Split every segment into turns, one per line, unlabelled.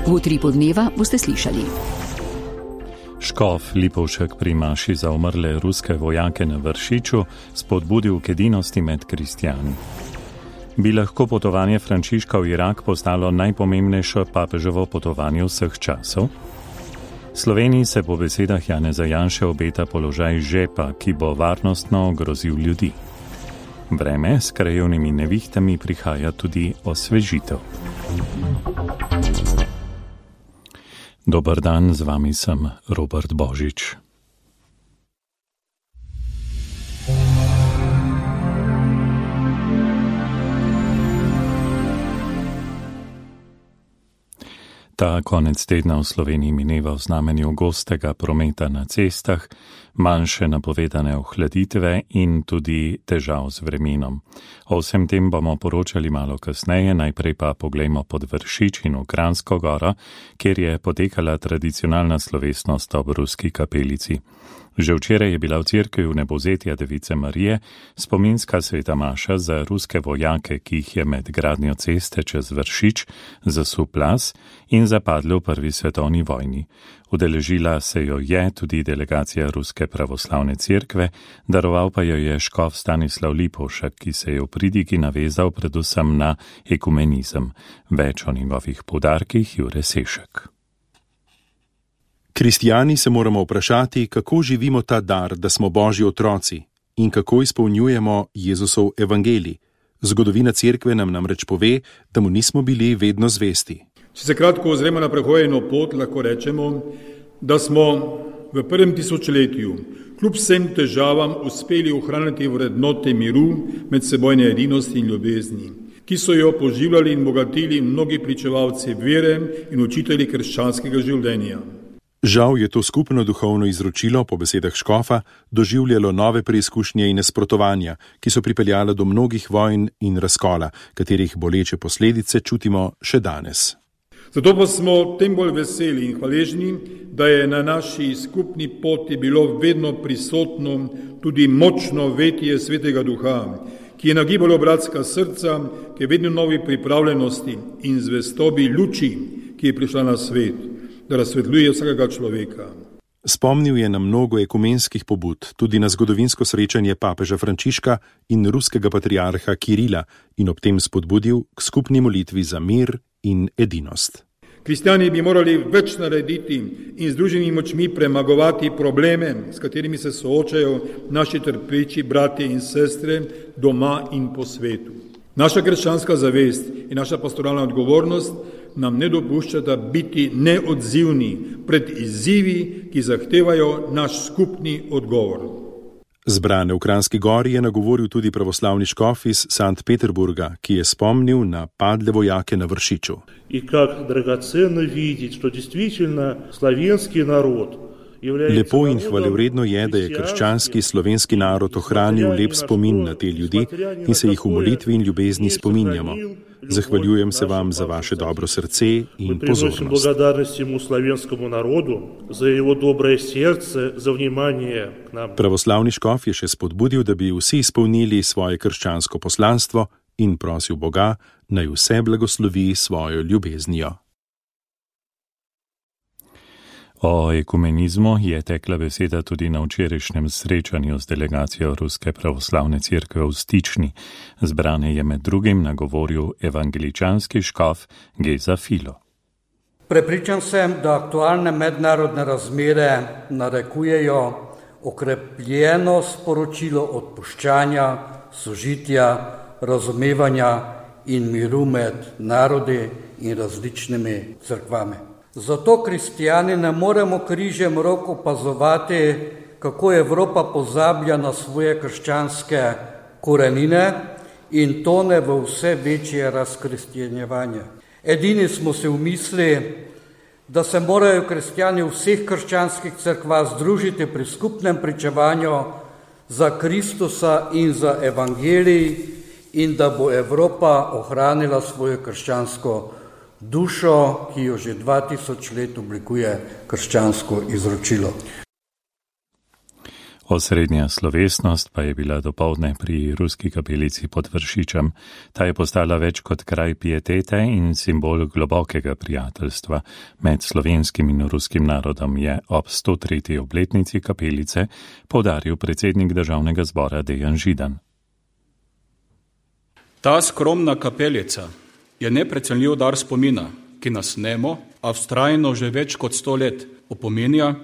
V utripu dneva boste slišali.
Škof Lipovšek pri maši za umrle ruske vojake na Vršiču spodbudil k edinosti med kristjani. Bi lahko potovanje Frančiška v Irak postalo najpomembnejše papeževo potovanje vseh časov? Sloveniji se po besedah Janeza Janše obeta položaj žepa, ki bo varnostno ogrozil ljudi. Vreme s krajevnimi nevihtami prihaja tudi osvežitev. Dober dan, z vami sem Robert Božič. Ta konec tedna v Sloveniji mineva v znamenju gostega prometa na cestah, manjše napovedane ohladitve in tudi težav z vremenom. O vsem tem bomo poročali malo kasneje, najprej pa poglejmo pod Vršič in v Kranjsko goro, kjer je potekala tradicionalna slovesnost ob ruski kapelici. Že včeraj je bila v cerkvi v Nebozetja Device Marije spominska sveta maša za ruske vojake, ki jih je med gradnjo ceste čez Vršič zasul plaz in zapadli v Prvi svetovni vojni. Udeležila se jo je tudi delegacija Ruske pravoslavne cerkve, daroval pa jo je škof Stanislav Lipovšek, ki se je v pridigi navezal predvsem na ekumenizem. Več o njegovih poudarkih Jure Sešek.
Kristijani se moramo vprašati, kako živimo ta dar, da smo Božji otroci in kako izpolnjujemo Jezusov evangelij. Zgodovina cerkve nam namreč pove, da mu nismo bili vedno zvesti.
Če se kratko ozremo na prehojeno pot, lahko rečemo, da smo v prvem tisočletju kljub vsem težavam uspeli ohraniti vrednote miru, medsebojne edinosti in ljubezni, ki so jo poživljali in bogatili mnogi pričevalci vere in učitelji krščanskega življenja.
Žal je to skupno duhovno izročilo, po besedah škofa, doživljalo nove preizkušnje in nasprotovanja, ki so pripeljale do mnogih vojn in razkola, katerih boleče posledice čutimo še danes.
Zato pa smo tem bolj veseli in hvaležni, da je na naši skupni poti bilo vedno prisotno tudi močno vetje Svetega Duha, ki je nagibalo bratska srca k vedno novi pripravljenosti in zvestobi luči, ki je prišla na svet, da razsvetljuje vsakega človeka.
Spomnil je na mnogo ekumenskih pobud, tudi na zgodovinsko srečanje papeža Frančiška in ruskega patriarha Kirila in ob tem spodbudil k skupni molitvi za mir in edinost.
Kristjani bi morali več narediti in združenimi močmi premagovati probleme, s katerimi se soočajo naši trpeči bratje in sestre doma in po svetu. Naša krščanska zavest in naša pastoralna odgovornost nam ne dopuščata biti neodzivni pred izzivi, ki zahtevajo naš skupni odgovor.
Zbrane v Kranjski gori je nagovoril tudi pravoslavni škof iz Sankt Peterburga, ki je spomnil na padle vojake na Vršiču.
In kako dragoceno videti, što действительно slovenski narod.
Lepo in hvalevredno je, da je krščanski slovenski narod ohranil lep spomin na te ljudi in se jih v molitvi in ljubezni spominjamo. Zahvaljujem se vam za vaše dobro srce in pozornost.
Благодарностью slovenskemu narodu za jeho dobrое сердце, za внимание к нам.
Pravoslavni škof je še spodbudil, da bi vsi izpolnili svoje krščansko poslanstvo in prosil Boga, naj vse blagoslovi svojo ljubeznijo.
O ekumenizmu je tekla beseda tudi na včerajšnjem srečanju z delegacijo Ruske pravoslavne cerkve v Stični. Zbrane je med drugim nagovoril evangeličanski škof Geza Filo.
Prepričan sem, da aktualne mednarodne razmere narekujejo okrepljeno sporočilo odpuščanja, sožitja, razumevanja in miru med narodi in različnimi cerkvami. Zato kristijani ne moremo križem rok opazovati, kako Evropa pozablja na svoje krščanske korenine in tone v vse večje razkristjanjevanje. Edini smo si v misli, da se morajo kristijani v vseh krščanskih cerkvah združiti pri skupnem pričevanju za Kristusa in za evangelij in da bo Evropa ohranila svojo krščansko dušo, ki jo že 2000 let oblikuje krščansko izročilo.
Osrednja slovesnost pa je bila dopoldne pri ruski kapelici pod Vršičem. Ta je postala več kot kraj pietete in simbol globokega prijateljstva med slovenskim in ruskim narodom, je ob 103. obletnici kapelice poudaril predsednik državnega zbora Dejan Židan.
Ta skromna kapelica je neprecenljiv dar spomina, ki nas nemo, a vztrajno že več kot 100 let opominja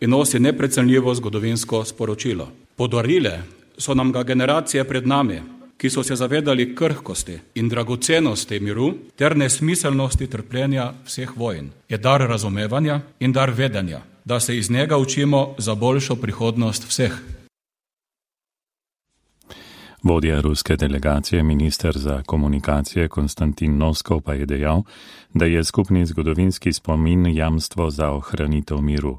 in nosi neprecenljivo zgodovinsko sporočilo. Podarile so nam ga generacije pred nami, ki so se zavedali krhkosti in dragocenosti miru ter nesmiselnosti trpljenja vseh vojn. Je dar razumevanja in dar vedenja, da se iz njega učimo za boljšo prihodnost vseh.
Vodja ruske delegacije, minister za komunikacije Konstantin Noskov pa je dejal, da je skupni zgodovinski spomin jamstvo za ohranitev miru.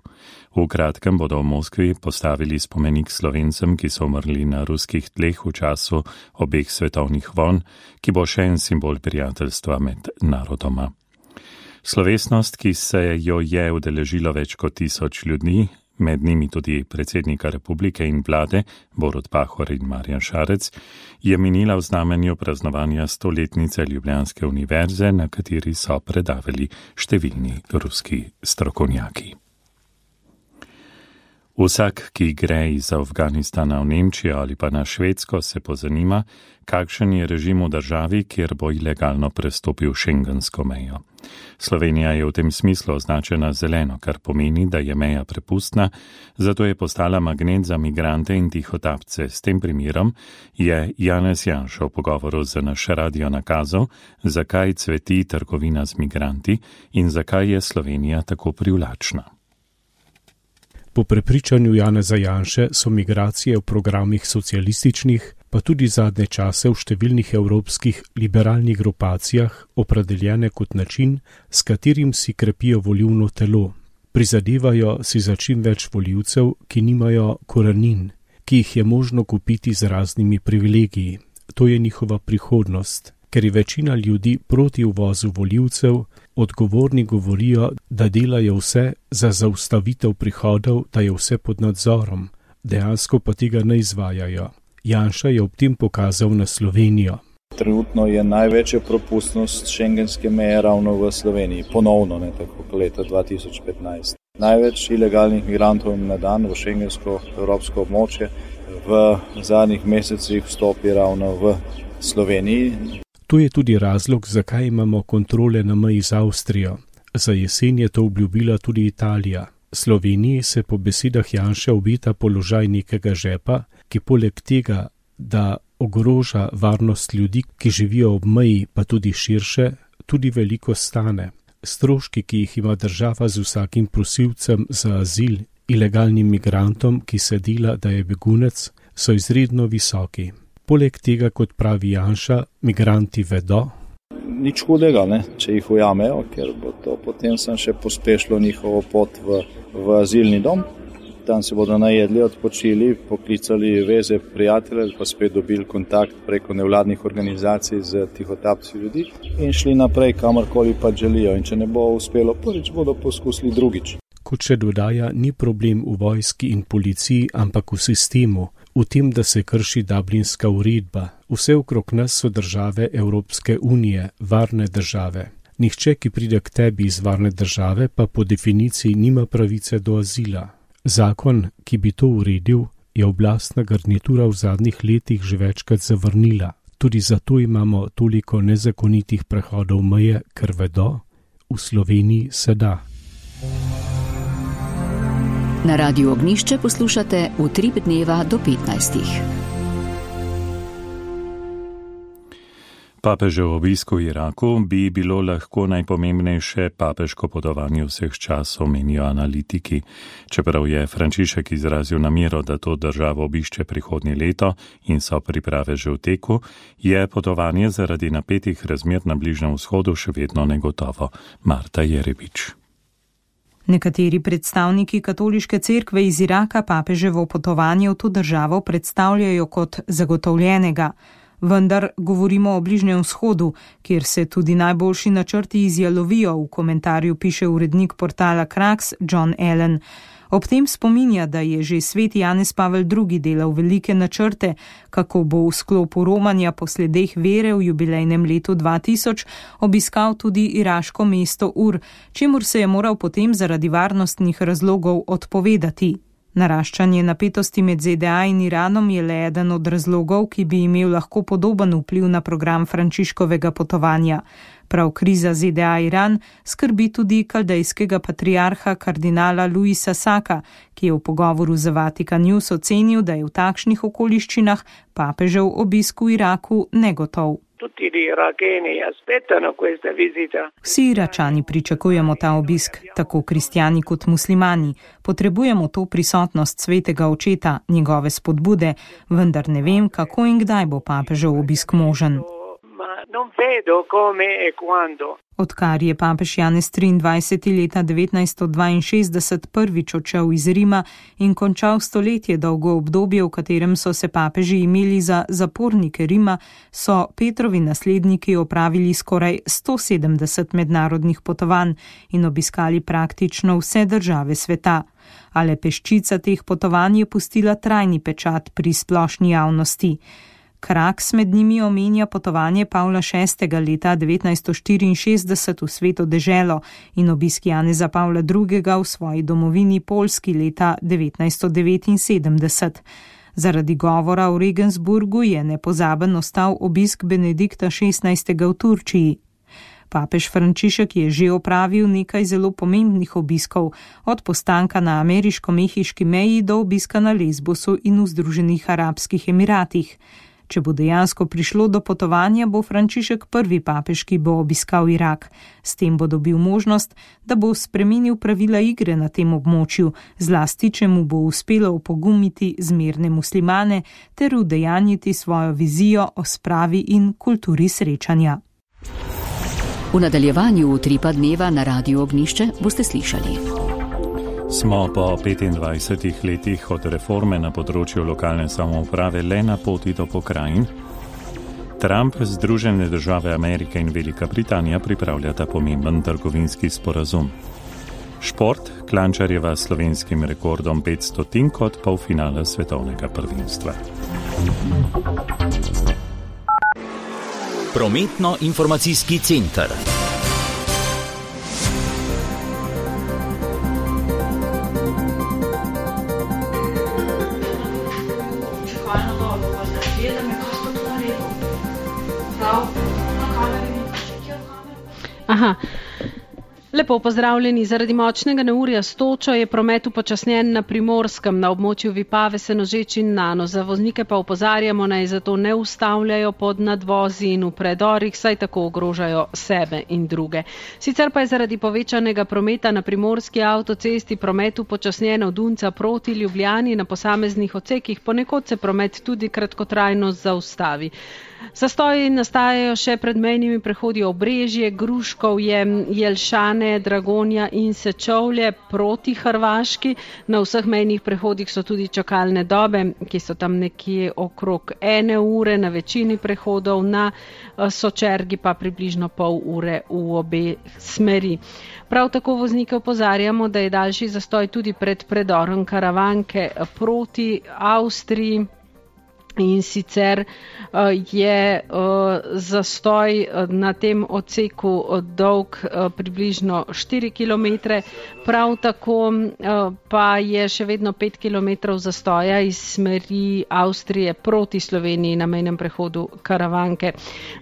V kratkem bodo v Moskvi postavili spomenik Slovencem, ki so umrli na ruskih tleh v času obeh svetovnih vojn, ki bo še en simbol prijateljstva med narodoma. Slovesnost, ki se jo je udeležilo več kot 1000 ljudi, med njimi tudi predsednika republike in vlade Borut Pahor in Marjan Šarec, je minila v znamenju praznovanja 100-letnice Ljubljanske univerze, na kateri so predavali številni ruski strokovnjaki. Vsak, ki gre iz Afganistana v Nemčijo ali pa na Švedsko, se pozanima, kakšen je režim v državi, kjer bo ilegalno prestopil šengensko mejo. Slovenija je v tem smislu označena zeleno, kar pomeni, da je meja prepustna, zato je postala magnet za migrante in tihotapce. S tem primerom je Janez Janša v pogovoru za naš radio nakazal, zakaj cveti trgovina z migranti in zakaj je Slovenija tako privlačna.
Po prepričanju Janeza Janše so migracije v programih socialističnih, pa tudi zadnje čase v številnih evropskih liberalnih grupacijah opredeljene kot način, s katerim si krepijo volilno telo. Prizadevajo si za čim več volivcev, ki nimajo korenin, ki jih je možno kupiti z raznimi privilegiji. To je njihova prihodnost. Ker je večina ljudi proti uvozu volivcev, odgovorni govorijo, da delajo vse za zaustavitev prihodov, da je vse pod nadzorom, dejansko pa tega ne izvajajo. Janša je ob tem pokazal na Slovenijo.
Trenutno je največja propustnost šengenske meje ravno v Sloveniji, ponovno, ne tako kot leta 2015. Največ ilegalnih migrantov na dan v šengensko evropsko območje v zadnjih mesecih vstopi ravno v Sloveniji.
To je tudi razlog, zakaj imamo kontrole na meji z Avstrijo. Za jesen je to obljubila tudi Italija. Sloveniji se po besedah Janše obeta položaj nekega žepa, ki poleg tega, da ogroža varnost ljudi, ki živijo ob meji, pa tudi širše, tudi veliko stane. Stroški, ki jih ima država z vsakim prosilcem za azil, ilegalnim migrantom, ki se dela, da je begunec, so izredno visoki. Poleg tega, kot pravi Janša, migranti vedo.
Nič hudega, ne, če jih ujamejo, ker bo to potem še pospešilo njihovo pot v azilni dom. Tam se bodo najedli, odpočili, poklicali veze prijatelje, pa spet dobili kontakt preko nevladnih organizacij z tihotapci ljudi in šli naprej, kamorkoli pa želijo. In če ne bo uspelo prvič, bodo poskusili drugič.
Kot še dodaja, ni problem v vojski in policiji, ampak v sistemu, v tem, da se krši Dublinska uredba. Vse okrog nas so države Evropske unije, varne države. Nihče, ki pride k tebi iz varne države, pa po definiciji nima pravice do azila. Zakon, ki bi to uredil, je oblastna garnitura v zadnjih letih že večkrat zavrnila. Tudi zato imamo toliko nezakonitih prehodov meje, ker vedo, v Sloveniji se da.
Na Radiu Ognjišče poslušate Utrip dneva do 15.
Papežev obisk v Iraku bi bilo lahko najpomembnejše papeško potovanje vseh časov, menijo analitiki. Čeprav je Frančišek izrazil namero, da to državo obišče prihodnje leto in so priprave že v teku, je potovanje zaradi napetih razmer na Bližnjem vzhodu še vedno negotovo. Marta Jerebič.
Nekateri predstavniki katoliške cerkve iz Iraka papeževo potovanje v to državo predstavljajo kot zagotovljenega. Vendar govorimo o Bližnjem vzhodu, kjer se tudi najboljši načrti izjalovijo, v komentarju piše urednik portala Krax John Allen. Ob tem spominja, da je že sveti Janez Pavel II. Delal velike načrte, kako bo v sklopu romanja po sledeh vere v jubilejnem letu 2000 obiskal tudi iraško mesto Ur, čemur se je moral potem zaradi varnostnih razlogov odpovedati. Naraščanje napetosti med ZDA in Iranom je le eden od razlogov, ki bi imel lahko podoben vpliv na program Frančiškovega potovanja. Prav kriza ZDA-Iran skrbi tudi kaldejskega patriarha kardinala Luisa Saka, ki je v pogovoru za Vatikan News ocenil, da je v takšnih okoliščinah papežev obisk v Iraku negotov. Vsi Iračani pričakujemo ta obisk, tako kristjani kot muslimani. Potrebujemo to prisotnost svetega očeta, njegove spodbude, vendar ne vem, kako in kdaj bo papežev obisk možen. Odkar je papež Janez 23. leta 1962 prvič odšel iz Rima in končal stoletje dolgo obdobje, v katerem so se papeži imeli za zapornike Rima, so Petrovi nasledniki opravili skoraj 170 mednarodnih potovanj in obiskali praktično vse države sveta. A le peščica teh potovanj je pustila trajni pečat pri splošni javnosti. Kraks med njimi omenja potovanje Pavla VI. Leta 1964 v Sveto deželo in obisk Janeza Pavla II. V svoji domovini Poljski leta 1979. Zaradi govora v Regensburgu je nepozaben ostal obisk Benedikta XVI. V Turčiji. Papež Frančišek je že opravil nekaj zelo pomembnih obiskov, od postanka na ameriško-mehiški meji do obiska na Lesbosu in v Združenih arabskih emiratih. Če bo dejansko prišlo do potovanja, bo Frančišek prvi papež, ki bo obiskal Irak. S tem bo dobil možnost, da bo spremenil pravila igre na tem območju, zlasti če mu bo uspelo opogumiti zmerne muslimane ter udejanjiti svojo vizijo o spravi in kulturi srečanja.
V nadaljevanju Utripa dneva na Radiu Ognjišče boste slišali.
Smo po 25 letih od reforme na področju lokalne samouprave le na poti do pokrajin. Trump, Združene države Amerike in Velika Britanija pripravljata pomemben trgovinski sporazum. Šport, Klančarjeva s slovenskim rekordom 500 kot polfinale svetovnega prvenstva.
Prometno-informacijski center.
Aha. Lepo pozdravljeni. Zaradi močnega neurja s točo je promet upočasnjen na Primorskem, na območju Vipave, Senožeč in Nano. Za voznike pa opozarjamo, naj zato ne ustavljajo pod nadvozi in v predorih, saj tako ogrožajo sebe in druge. Sicer pa je zaradi povečanega prometa na Primorski avtocesti promet upočasnjen od Unca proti Ljubljani, na posameznih odsekih ponekod se promet tudi kratkotrajno zaustavi. Zastoji nastajajo še pred mejnimi prehodi Obrežje, Gruškovje, Jelšane, Dragonja in Sečovlje proti Hrvaški. Na vseh mejnih prehodih so tudi čakalne dobe, ki so tam nekje okrog 1 ure na večini prehodov, na Sočergi pa približno pol ure v obe smeri. Prav tako voznike opozarjamo, da je daljši zastoj tudi pred predorom Karavanke proti Avstriji. In sicer je zastoj na tem odseku dolg približno 4 km, prav tako pa je še vedno 5 km zastoja iz smeri Avstrije proti Sloveniji na mejnem prehodu Karavanke.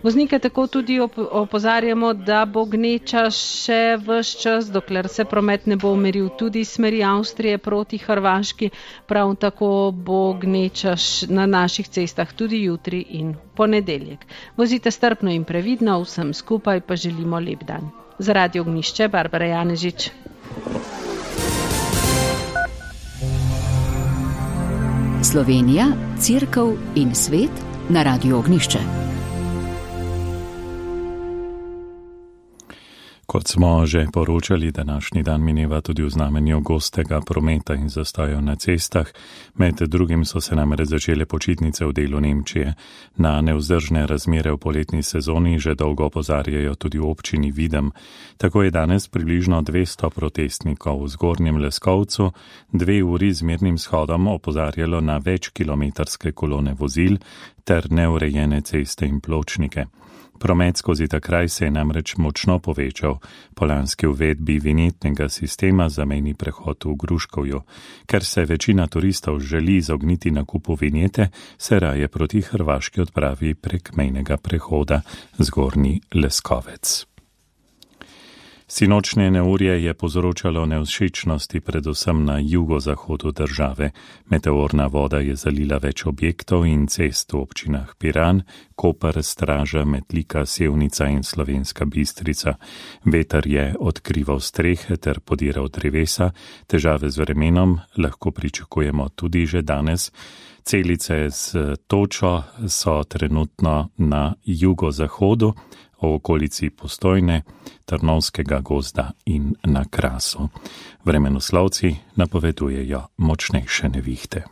Voznike tako tudi opozarjamo, da bo gneča še ves čas, dokler se promet ne bo umiril tudi iz smeri Avstrije proti Hrvaški, prav tako bo gneča na naših cestah tudi jutri in ponedeljek. Vozite strpno in previdno, vsem skupaj pa želimo lep dan. Za Radio Ognjišče, Barbara Janežič.
Slovenija, Cerkev in svet na Radio Ognjišče.
Kot smo že poročali, današnji dan mineva tudi v znamenju gostega prometa in zastojev na cestah. Med drugim so se namreč začele počitnice v delu Nemčije. Na nevzdržne razmere v poletni sezoni že dolgo opozarjajo tudi v občini Videm. Tako je danes približno 200 protestnikov v Zgornjem Leskovcu 2 uri z mirnim shodom opozarjalo na večkilometrske kolone vozil ter neurejene ceste in pločnike. Promet skozi ta kraj se je namreč močno povečal po lanski uvedbi vinjetnega sistema za mejni prehod v Gruškovju. Ker se večina turistov želi izogniti nakupu vinjete, se raje proti Hrvaški odpravi prek mejnega prehoda Zgornji Leskovec. Sinočnje neurje je povzročalo nevšečnosti predvsem na jugozahodu države. Meteorna voda je zalila več objektov in cest v občinah Piran, Koper, Straža, Metlika, Sevnica in Slovenska Bistrica. Veter je odkrival strehe ter podiral drevesa, težave z vremenom lahko pričakujemo tudi že danes. Celice z točo so trenutno na jugozahodu, v okolici Postojne, Trnovskega gozda in na Krasu. Vremenoslovci napovedujejo močnejše nevihte.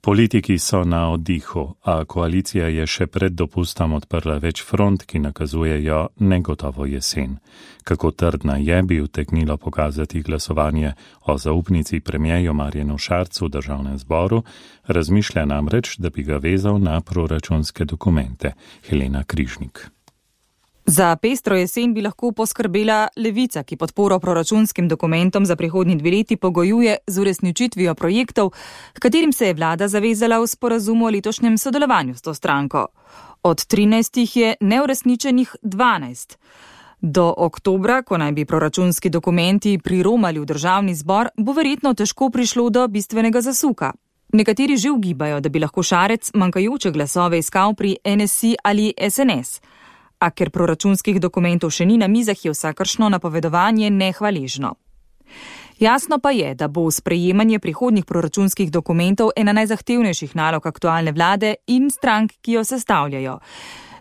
Politiki so na oddihu, a koalicija je še pred dopustom odprla več front, ki nakazujejo negotovo jesen. Kako trdna je, bi utegnilo pokazati glasovanje o zaupnici premierju Marjanu Šarcu v državnem zboru, razmišlja namreč, da bi ga vezal na proračunske dokumente. Helena Križnik.
Za pestro jesen bi lahko poskrbela Levica, ki podporo proračunskim dokumentom za prihodnji 2 leti pogojuje z uresničitvijo projektov, h katerim se je vlada zavezala v sporazumu o letošnjem sodelovanju s to stranko. Od 13 je neuresničenih 12. Do oktobra, ko naj bi proračunski dokumenti priromali v državni zbor, bo verjetno težko prišlo do bistvenega zasuka. Nekateri že ugibajo, da bi lahko Šarec manjkajoče glasove iskal pri NSI ali SNS. A ker proračunskih dokumentov še ni na mizah, je vsakršno napovedovanje nehvaležno. Jasno pa je, da bo sprejemanje prihodnjih proračunskih dokumentov ena najzahtevnejših nalog aktualne vlade in strank, ki jo sestavljajo.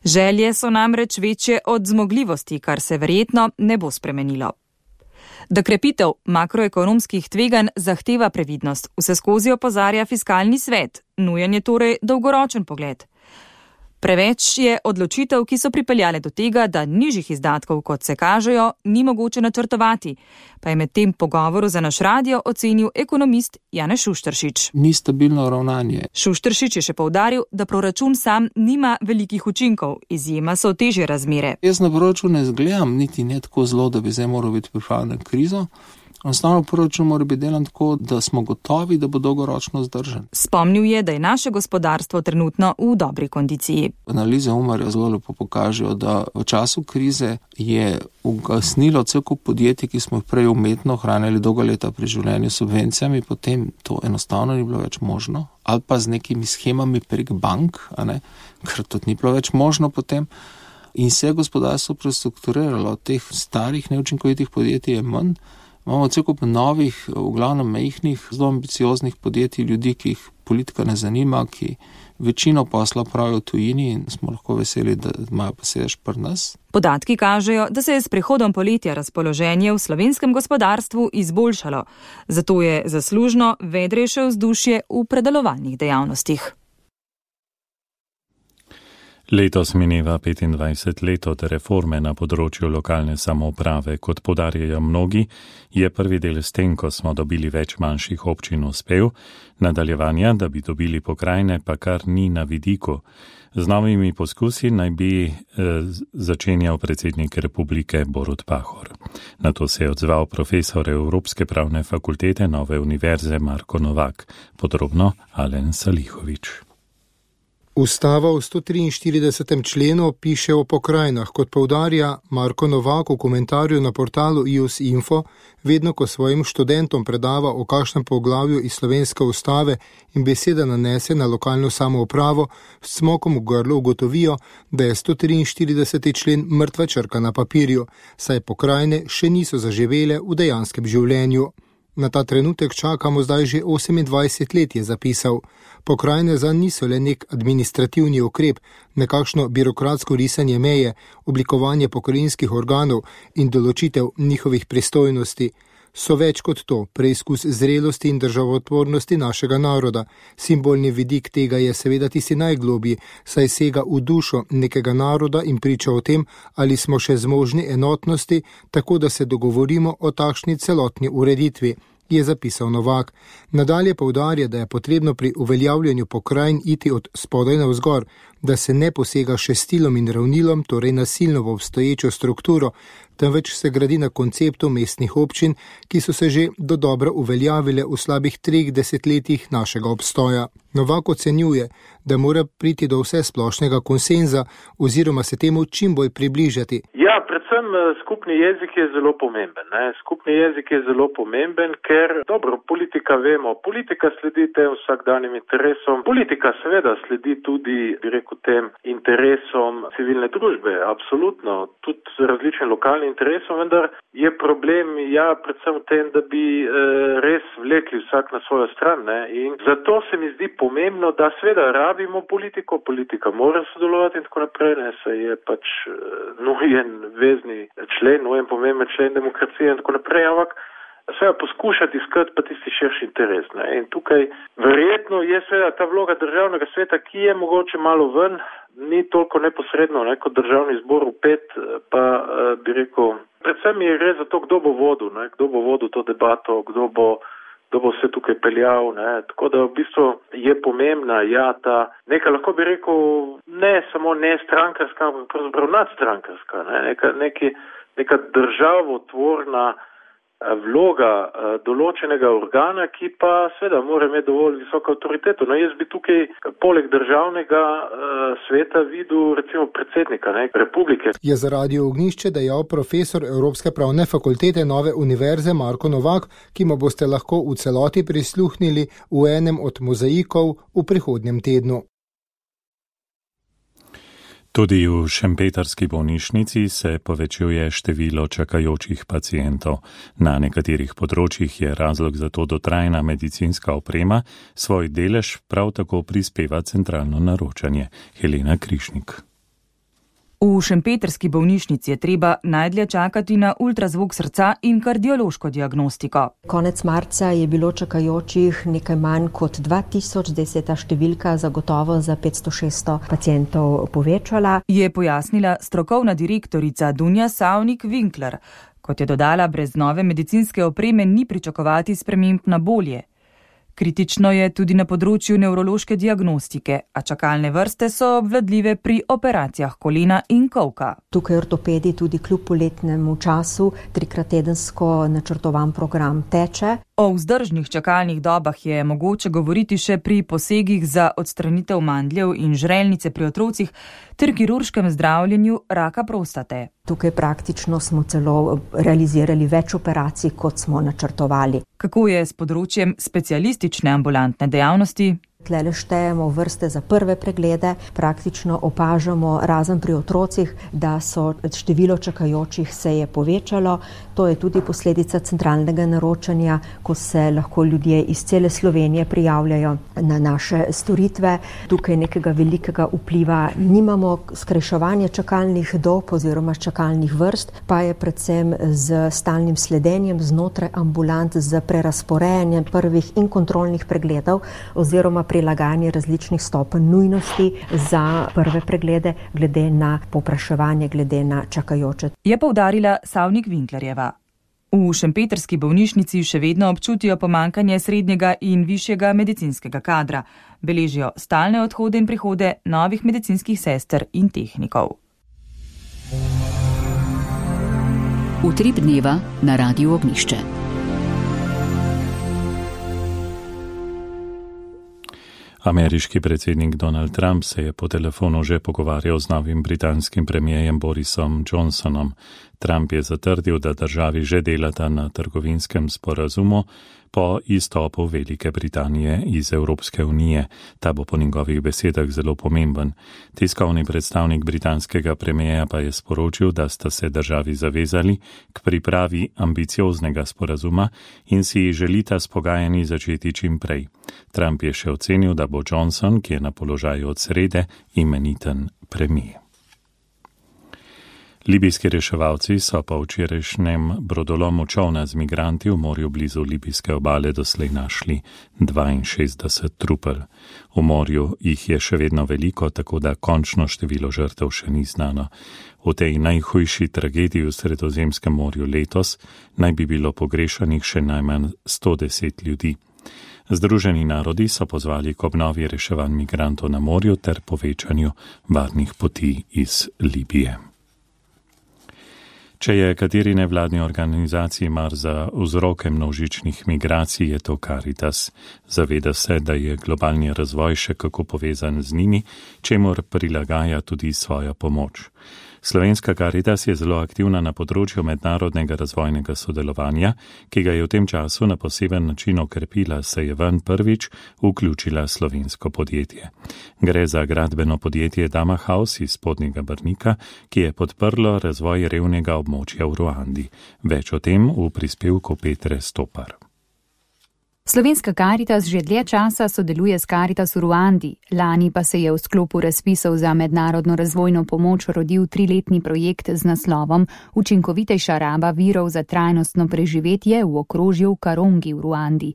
Želje so namreč večje od zmogljivosti, kar se verjetno ne bo spremenilo. Da krepitev makroekonomskih tveganj zahteva previdnost, vseskozi opozarja Fiskalni svet, nujen je torej dolgoročen pogled. Preveč je odločitev, ki so pripeljale do tega, da nižjih izdatkov, kot se kažejo, ni mogoče načrtovati, pa je med tem pogovoru za naš radio ocenil ekonomist Janez Šušteršič.
Ni stabilno ravnanje.
Šušteršič je še poudaril, da proračun sam nima velikih učinkov, izjema so težje razmere.
Jaz na proračun ne zgledam niti ne tako zelo, da bi zdaj moral biti pripravljen na krizo. Enostavno proračun mora biti delan tako, da smo gotovi, da bo dolgoročno zdržan.
Spomnil je, da je naše gospodarstvo trenutno v dobri kondiciji.
Analize Umarja zelo lepo pokažejo, da v času krize je ugasnilo cel kup podjetij, ki smo jih prej umetno hranili dolga leta pri življenju s subvencijami, potem to enostavno ni bilo več možno. Ali pa z nekimi schemami prek bank, ker to ni bilo več možno potem. In se je gospodarstvo prestrukturiralo. Teh starih neučinkovitih podjetij je manj. Imamo cel kup novih, v glavnem majhnih, zelo ambicioznih podjetij, ljudi, ki jih politika ne zanima, ki večino posla pravijo v tujini in smo lahko veseli, da imajo pa sedež pri nas.
Podatki kažejo, da se je s prihodom poletja razpoloženje v slovenskem gospodarstvu izboljšalo, zato je zaslužno vedrejše vzdušje v predelovalnih dejavnostih.
Letos mineva 25 let od reforme na področju lokalne samouprave. Kot poudarjajo mnogi, je prvi del s tem, ko smo dobili več manjših občin uspel, nadaljevanja, da bi dobili pokrajine, pa kar ni na vidiku. Z novimi poskusi naj bi začenjal predsednik republike Borut Pahor. Na to se je odzval profesor Evropske pravne fakultete Nove univerze Marko Novak. Podrobno Alen Salihovič.
Ustava v 143. členu piše o pokrajinah, kot poudarja Marko Novak v komentarju na portalu IUS Info, vedno ko svojim študentom predava o kakšnem poglavju iz slovenske ustave in beseda nanese na lokalno samoupravo, s cmokom v grlu ugotovijo, da je 143. člen mrtva črka na papirju, saj pokrajine še niso zaživele v dejanskem življenju. Na ta trenutek čakamo zdaj že 28 let, je zapisal. Pokrajine zanj niso le nek administrativni ukrep, nekakšno birokratsko risanje meje, oblikovanje pokrajinskih organov in določitev njihovih pristojnosti. So več kot to, preizkus zrelosti in državotvornosti našega naroda. Simbolni vidik tega je seveda tisti najglobji, saj sega v dušo nekega naroda in priča o tem, ali smo še zmožni enotnosti, tako da se dogovorimo o takšni celotni ureditvi, je zapisal Novak. Nadalje poudarja, da je potrebno pri uveljavljanju pokrajin iti od spodaj navzgor, da se ne posega še stilom in ravnilom, torej nasilno v obstoječo strukturo, temveč se gradi na konceptu mestnih občin, ki so se že dodobra uveljavile v slabih 3 desetletjih našega obstoja. Novak ocenjuje, da mora priti do vse splošnega konsenza oziroma se temu čim bolj približati.
Ja, predvsem skupni jezik je zelo pomemben. Skupni jezik je zelo pomemben, ker, dobro, politika vemo, politika sledi tem vsakdanjim interesom. Politika seveda sledi tudi, bi rekel, tem interesom civilne družbe, absolutno, tudi različnim lokalnim interesom, vendar je problem, predvsem v tem, da bi res vlekli vsak na svojo stran. In zato se mi zdi pomembno, da seveda rabimo politiko, politika mora sodelovati in tako naprej, saj je pač nujen vezni člen, nujen pomemben člen demokracije in tako naprej, ampak seveda poskušati iskati pa tisti širši interes. In tukaj verjetno je seveda ta vloga državnega sveta, ki je mogoče malo ven, ni toliko neposredno, kot državni zbor vpet, pa bi rekel, predvsem je gre za to, kdo bo vodil to debato, kdo bo vse tukaj peljal, tako da v bistvu je pomembna, ta neka, lahko bi rekel, ne samo ne strankarska, ampak pravzaprav nadstrankarska, neka državotvorna vloga določenega organa, ki pa seveda mora imeti dovolj visoko avtoriteto. Jaz bi tukaj poleg državnega sveta videl recimo predsednika republike.
Je za Radio Ognjišče dejal profesor Evropske pravne fakultete Nove univerze Marko Novak, ki mu boste lahko v celoti prisluhnili v enem od mozaikov v prihodnjem tednu.
Tudi v šempetrski bolnišnici se povečuje število čakajočih pacientov. Na nekaterih področjih je razlog za to dotrajna medicinska oprema, svoj delež prav tako prispeva centralno naročanje. Helena Krišnik.
V šempetrski bolnišnici je treba najdlje čakati na ultrazvok srca in kardiološko diagnostiko.
Konec marca je bilo čakajočih nekaj manj kot 2000, zdaj se je ta številka zagotovo za 500-600 pacientov povečala.
Je pojasnila strokovna direktorica Dunja Savnik-Winkler. Kot je dodala, brez nove medicinske opreme ni pričakovati sprememb na bolje. Kritično je tudi na področju nevrološke diagnostike, a čakalne vrste so obvladljive pri operacijah kolena in kolka.
Tukaj ortopedi tudi kljub poletnemu času 3-krat tedensko načrtovan program teče.
O vzdržnih čakalnih dobah je mogoče govoriti še pri posegih za odstranitev mandljev in žrelnice pri otrocih ter kirurškem zdravljenju raka prostate.
Tukaj praktično smo celo realizirali več operacij, kot smo načrtovali.
Kako je s področjem specialistične ambulantne dejavnosti?
Tlele štejemo vrste za prve preglede, praktično opažamo, razen pri otrocih, da so število čakajočih se je povečalo. To je tudi posledica centralnega naročanja, ko se lahko ljudje iz cele Slovenije prijavljajo na naše storitve. Tukaj nekega velikega vpliva nimamo. Skrajševanje čakalnih dob oziroma čakalnih vrst pa je predvsem z stalnim sledenjem znotraj ambulant, z prerasporejanjem prvih in kontrolnih pregledov oziroma prilagajanje različnih stopenj nujnosti za prve preglede glede na povpraševanje, glede na čakajoče.
Je poudarila Savnik-Winklerjeva. V šempetrski bolnišnici še vedno občutijo pomanjkanje srednjega in višjega medicinskega kadra. Beležijo stalne odhode in prihode novih medicinskih sester in tehnikov.
Utrip dneva na Radiu Ognjišče.
Ameriški predsednik Donald Trump se je po telefonu že pogovarjal z novim britanskim premijerjem Borisom Johnsonom. Trump je zatrdil, da državi že delata na trgovinskem sporazumu po izstopu Velike Britanije iz Evropske unije. Ta bo po njegovih besedah zelo pomemben. Tiskovni predstavnik britanskega premijeja pa je sporočil, da sta se državi zavezali k pripravi ambicioznega sporazuma in si želita s pogajanji začeti čim prej. Trump je še ocenil, da bo Johnson, ki je na položaju od srede, imeniten premijer. Libijski reševalci so po včerajšnjem brodolomu čolna z migranti v morju blizu libijske obale doslej našli 62 trupel. V morju jih je še vedno veliko, tako da končno število žrtev še ni znano. V tej najhujši tragediji v Sredozemskem morju letos naj bi bilo pogrešanih še najmanj 110 ljudi. Združeni narodi so pozvali k obnovi reševanj migrantov na morju ter povečanju varnih poti iz Libije. Če je kateri nevladni organizaciji mar za vzroke množičnih migracij, je to Caritas. Zaveda se, da je globalni razvoj še kako povezan z njimi, čemur prilagaja tudi svojo pomoč. Slovenska Caritas je zelo aktivna na področju mednarodnega razvojnega sodelovanja, ki ga je v tem času na poseben način okrepila, saj je ven prvič vključila slovensko podjetje. Gre za gradbeno podjetje Dama House iz Spodnjega Brnika, ki je podprlo razvoj revnega območja v Ruandi. Več o tem v prispevku Petre Stopar.
Slovenska Caritas že dlje časa sodeluje s Caritas v Ruandi. Lani pa se je v sklopu razpisov za mednarodno razvojno pomoč rodil 3-letni projekt z naslovom Učinkovitejša raba virov za trajnostno preživetje v okrožju Karongi v Ruandi.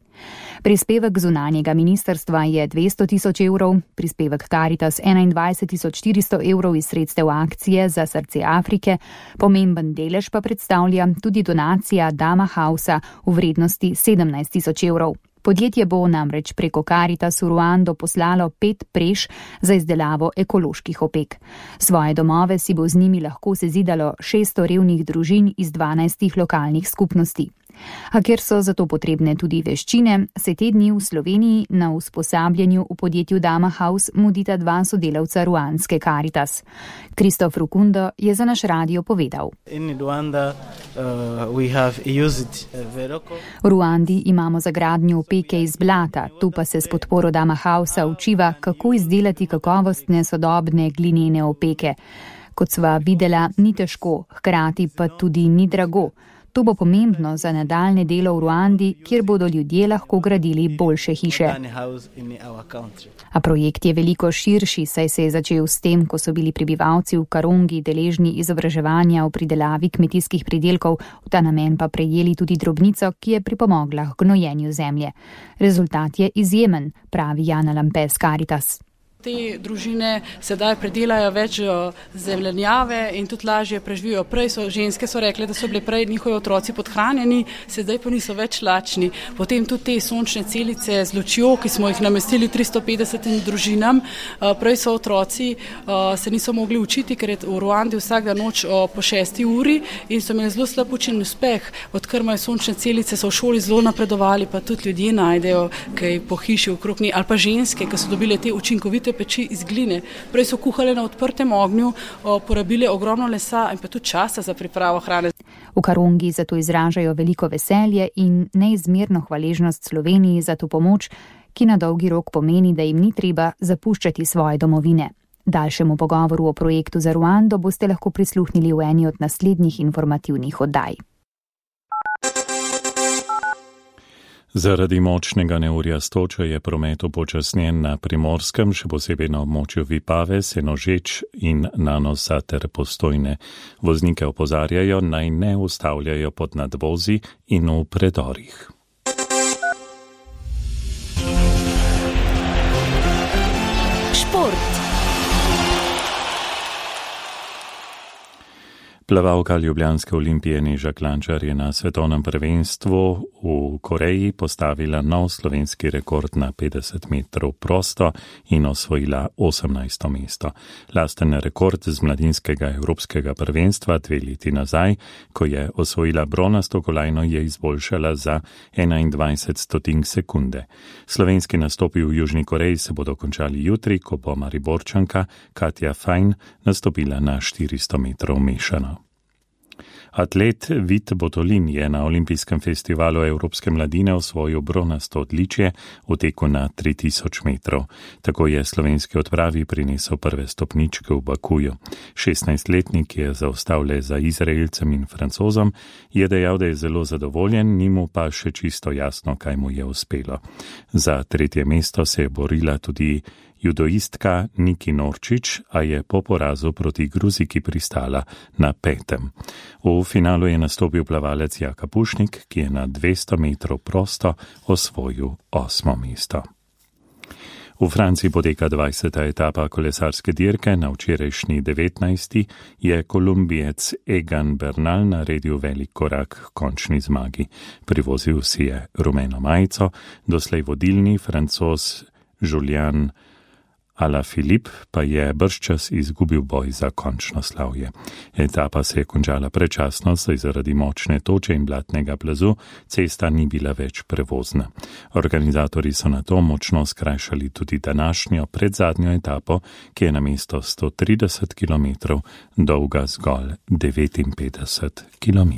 Prispevek zunanjega ministrstva je 200 000 evrov, prispevek Caritas 21 400 evrov iz sredstev akcije za srce Afrike, pomemben delež pa predstavlja tudi donacija Dama Housea v vrednosti 17 000 evrov. Podjetje bo namreč preko Caritas v Ruando poslalo 5 preš za izdelavo ekoloških opek. Svoje domove si bo z njimi lahko sezidalo 600 revnih družin iz 12 lokalnih skupnosti. A ker so zato potrebne tudi veščine, se te dni v Sloveniji na usposabljanju v podjetju Dama House mudita 2 sodelavca ruandske Caritas. Kristof Rukundo je za naš radio povedal. V Ruandi imamo za gradnjo opeke iz blata, tu pa se s podporo Dama Housea učiva, kako izdelati kakovostne sodobne glinene opeke. Kot sva videla, ni težko, hkrati pa tudi ni drago. To bo pomembno za nadaljne delo v Ruandi, kjer bodo ljudje lahko gradili boljše hiše. A projekt je veliko širši, saj se je začel s tem, ko so bili prebivalci v Karongi deležni izobraževanja o pridelavi kmetijskih pridelkov, v ta namen pa prejeli tudi drobnico, ki je pripomogla k gnojenju zemlje. Rezultat je izjemen, pravi Jana Lampes Caritas.
Te družine sedaj predelajo več zelenjave in tudi lažje preživijo. Ženske so rekle, da so bile prej njihovi otroci podhranjeni, sedaj pa niso več lačni. Potem tudi te sončne celice z lučjo, ki smo jih namestili 350 družinam. Prej so otroci se niso mogli učiti, ker je v Ruandi vsaka noč po 6 uri in so imeli zelo slab učen uspeh. Odkar imajo sončne celice, so v šoli zelo napredovali, pa tudi ljudje najdejo kaj po hiši okrog njih. Ali pa ženske, ki so dobile te učinkovite peči iz gline. Prej so kuhale na odprtem ognju, porabile ogromno lesa in pa tudi časa za pripravo hrane.
V Karongi zato izražajo veliko veselje in neizmerno hvaležnost Sloveniji za to pomoč, ki na dolgi rok pomeni, da jim ni treba zapuščati svoje domovine. Daljšemu pogovoru o projektu za Ruando boste lahko prisluhnili v eni od naslednjih informativnih oddaj.
Zaradi močnega neurja s točo je promet upočasnjen na Primorskem, še posebej na območju Vipave, Senožeč in Nanosa ter Postojne. Voznike opozarjajo, naj ne ustavljajo pod nadvozi in v predorih.
Šport.
Plavalka ljubljanske Olimpije Neža Klančar je na svetovnem prvenstvu v Koreji postavila nov slovenski rekord na 50 metrov prosto in osvojila 18. mesto. Lasten rekord z mladinskega evropskega prvenstva 2 leti nazaj, ko je osvojila bronasto kolajno, je izboljšala za 21 sekunde. Slovenski nastopi v Južni Koreji se bodo končali jutri, ko bo Mariborčanka Katja Fajn nastopila na 400 metrov mešano. Atlet Vit Botolin je na Olimpijskem festivalu Evropske mladine osvojil bronasto odličje v teku na 3000 metrov. Tako je slovenski odpravi prinesel prve stopničke v Bakuju. 16-letnik je zaostal le za Izraelcem in Francozom, je dejal, da je zelo zadovoljen, ni mu pa še čisto jasno, kaj mu je uspelo. Za 3. mesto se je borila tudi judoistka Niki Norčič, a je po porazu proti Gruziki pristala na 5. V finalu je nastopil plavalec Jaka Pušnik, ki je na 200 metrov prosto osvojil 8. mesto. V Franciji poteka 20. etapa kolesarske dirke, na včerajšnji 19. je kolumbijec Egan Bernal naredil velik korak k končni zmagi. Privozil si je rumeno majico, doslej vodilni Francoz Julian Alaphilippe pa je bržčas izgubil boj za končno slavje. Etapa se je končala predčasno, saj zaradi močne toče in blatnega plazu cesta ni bila več prevozna. Organizatorji so na to močno skrajšali tudi današnjo predzadnjo etapo, ki je namesto 130 km dolga zgolj 59 km.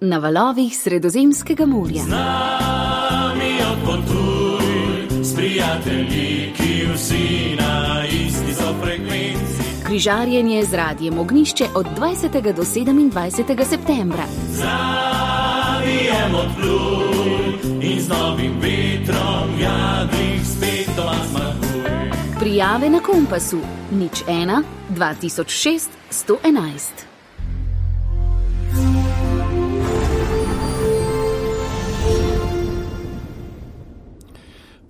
Na valovih Sredozemskega morja.
Z nami odpotuj, s prijatelji, ki vsi na isti so frekvenci.
Križarjenje z Radijem Ognjišče od 20. do 27. septembra.
Zavijem odpluj in z novim vetrom jadrih spet doma zmaguj.
Prijave na Kompasu 01 2006 111.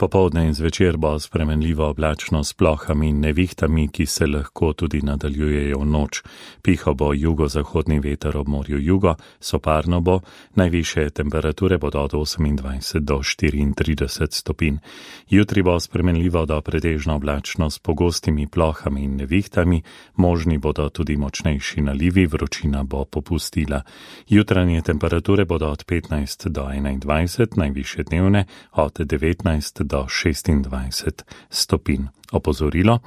Popoldne in zvečer bo spremenljivo oblačno s plohami in nevihtami, ki se lahko tudi nadaljujejo v noč. Pihal bo jugozahodni veter ob morju jugo, soparno bo, najvišje temperature bodo od 28 do 34 stopinj. Jutri bo spremenljivo do pretežno oblačno s pogostimi plohami in nevihtami, možni bodo tudi močnejši nalivi, vročina bo popustila. Jutranje temperature bodo od 15 do 21, najvišje dnevne od 19 do 26 stopinj. Opozorilo,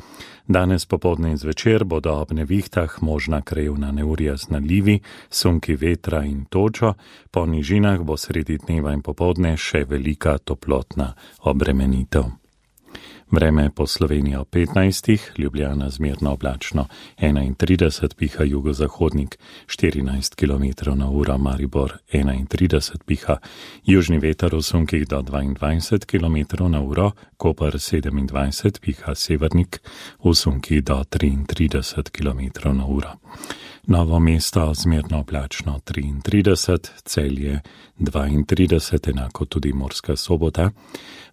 danes popoldne in zvečer bodo ob nevihtah možna krajevna neurja z nalivi, sunki vetra in točo, po nižinah bo sredi dneva in popoldne še velika toplotna obremenitev. Vreme po Sloveniji ob 15, Ljubljana zmerno oblačno, 31 piha jugozahodnik, 14 km na uro, Maribor 31 piha, južni veter v sunkih do 22 km na uro, Koper 27 piha, severnik v sunkih do 33 km na uro. Novo mesto zmerno oblačno 33, Celje 32, enako tudi Murska Sobota,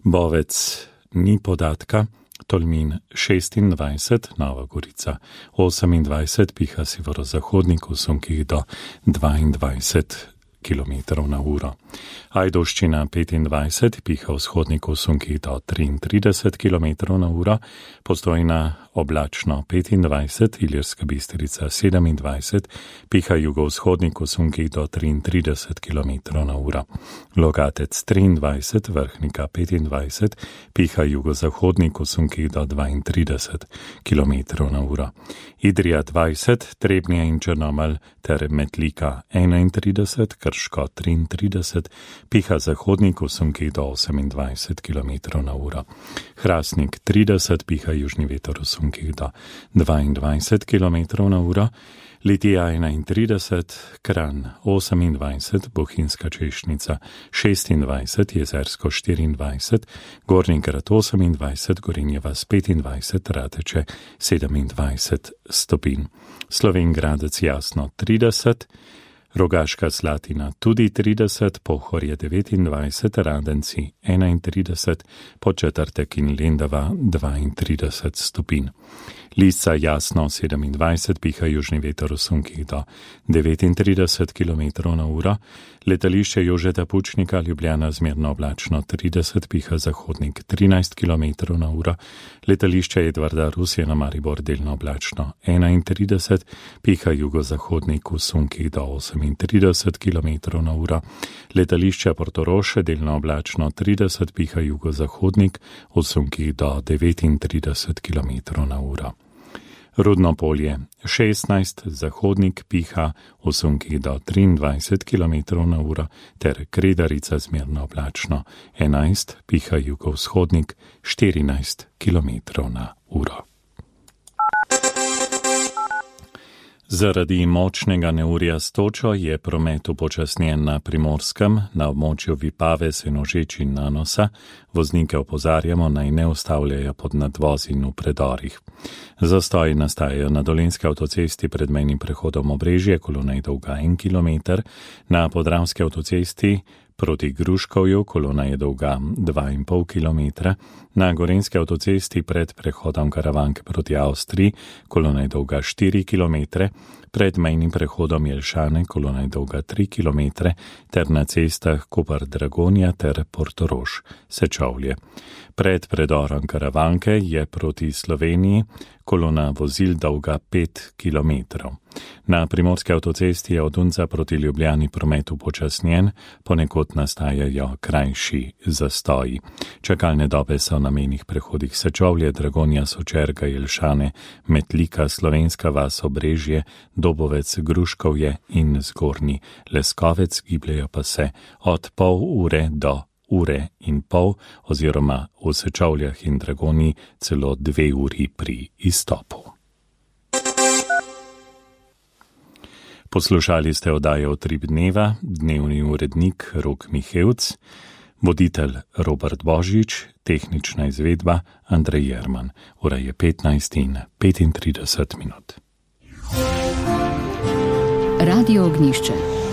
Bovec ni podatka, Tolmin 26, Nova Gorica 28, piha severozahodnik v sunkih do 22 km na uro. Ajdovščina 25, piha vzhodnik v sunkih do 33 km na uro, Postojna oblačno 25, Ilirska Bistrica 27, piha jugovzhodnik v sunkih do 33 km na uro. Logatec 23, Vrhnika 25, piha jugozahodnik v sunkih do 32 km na uro. Idrija 20, Trebnje in Črnomelj ter Metlika 31, Krško 33, piha zahodnik v sunkih do 28 km na uro. Hrastnik 30, piha južni veter v sunkih do 22 km na uro. Litija 31, Kranj 28, Bohinjska Češnica 26, Jezersko 24, Gornji Grad 28, Gorenje vas 25, Rateče 27 stopinj. Slovenj Gradec Jasno 30, Rogaška Slatina tudi 30, Pohorje 29, Radenci 31, Podčetrtek in Lendava 32 stopinj. Lisca Jasno 27, piha južni veter v sunkih do 39 km na uro, letališče Jožeta Pučnika Ljubljana zmerno oblačno 30, piha zahodnik 13 km na uro, letališče Edvarda Rusjana Maribor delno oblačno 31, piha jugozahodnik v sunkih do 38 km/h, letališče Portorož delno oblačno 30, piha jugozahodnik v sunkih do 39 km/h. Rudno polje 16, zahodnik piha v sunkih do 23 km/h ter Kredarica zmerno oblačno 11, piha jugovzhodnik 14 km/h. Zaradi močnega neurja s točo je promet upočasnjen na Primorskem, na območju Vipave, Senožeč in Nanosa. Voznike opozarjamo, naj ne ustavljajo pod nadvozi in v predorih. Zastoji nastajajo na Dolenjski avtocesti pred mejnim prehodom Obrežje, kolona je dolga 1 km, na Podravski avtocesti proti Gruškovju, kolona je dolga 2,5 km, na Gorenjski avtocesti pred prehodom Karavanke proti Avstriji, kolona je dolga 4 km, pred mejnim prehodom Jelšane, kolona je dolga 3 km, ter na cestah Koper-Dragonja ter Portorož, Sečovlje. Pred predorom Karavanke je proti Sloveniji kolona vozil dolga 5 km. Na Primorski avtocesti je od Unca proti Ljubljani promet upočasnjen, ponekod nastajajo krajši zastoji. Čakalne dobe so na mejnih prehodih Sečovlje, Dragonja, Sočerga, Jelšane, Metlika, Slovenska vas, Obrežje, Dobovec, Gruškovje in Zgornji Leskovec, gibljajo pa se od pol ure do ure in pol oziroma v Sečovljah in Dragonji celo 2 uri pri izstopu. Poslušali ste oddajo Utrip dneva, dnevni urednik Rok Mihevc, voditelj Robert Božič, tehnična izvedba Andrej Jerman. Ura je 15:35.
Radio Ognjišče.